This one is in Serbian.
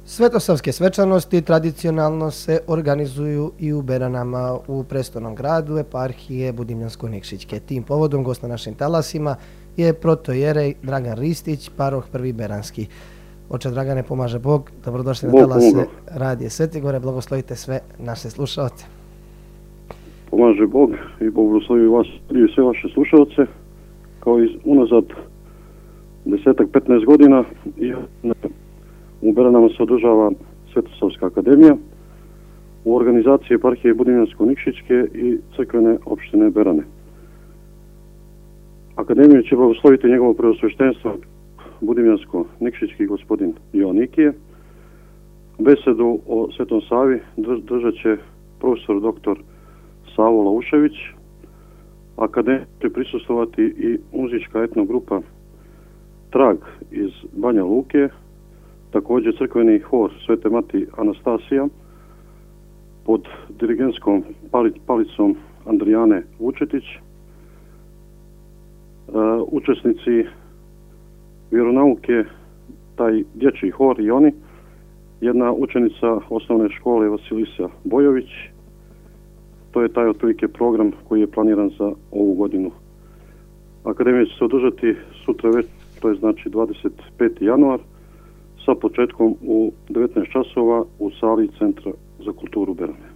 Svetosavske svečanosti tradicionalno se organizuju i u Beranama u prestolnom gradu eparhije Budimljansko-Nikšićke. Tim povodom gost na našim talasima je protojerej Dragan Ristić, paroh Prvi Beranski. Oče Dragane, pomaže Bog, dobrodošli na talase Radije Svetigore, blagoslovite sve naše slušalce. Pomaže Bog i blagoslovi vas i sve vaše slušalce, kao i unazad 10-15 godina u Beranama se održava Svetosavska akademija u organizaciji eparhije Budimljansko-Nikšićke i crkvene opštine Berane. Akademiju će blagosloviti njegovo preosveštenstvo Budimljansko-Nikšićki gospodin Joanikije. Besedu o Svetom Savi držat će profesor dr. Savo Laušević. Akademiju će prisustvovati i muzička etnogrupa Trag iz Banja Luke, također crkveni hor Svete Mati Anastasija pod dirigentskom palicom Andrijane Vučetić, učesnici vjeronauke, taj dječji hor i oni, jedna učenica osnovne škole Vasilisa Bojović. To je taj otprilike program koji je planiran za ovu godinu. Akademija će se održati sutra već, to je znači 25. januar, sa početkom u 19 časova u sali Centra za kulturu Berane.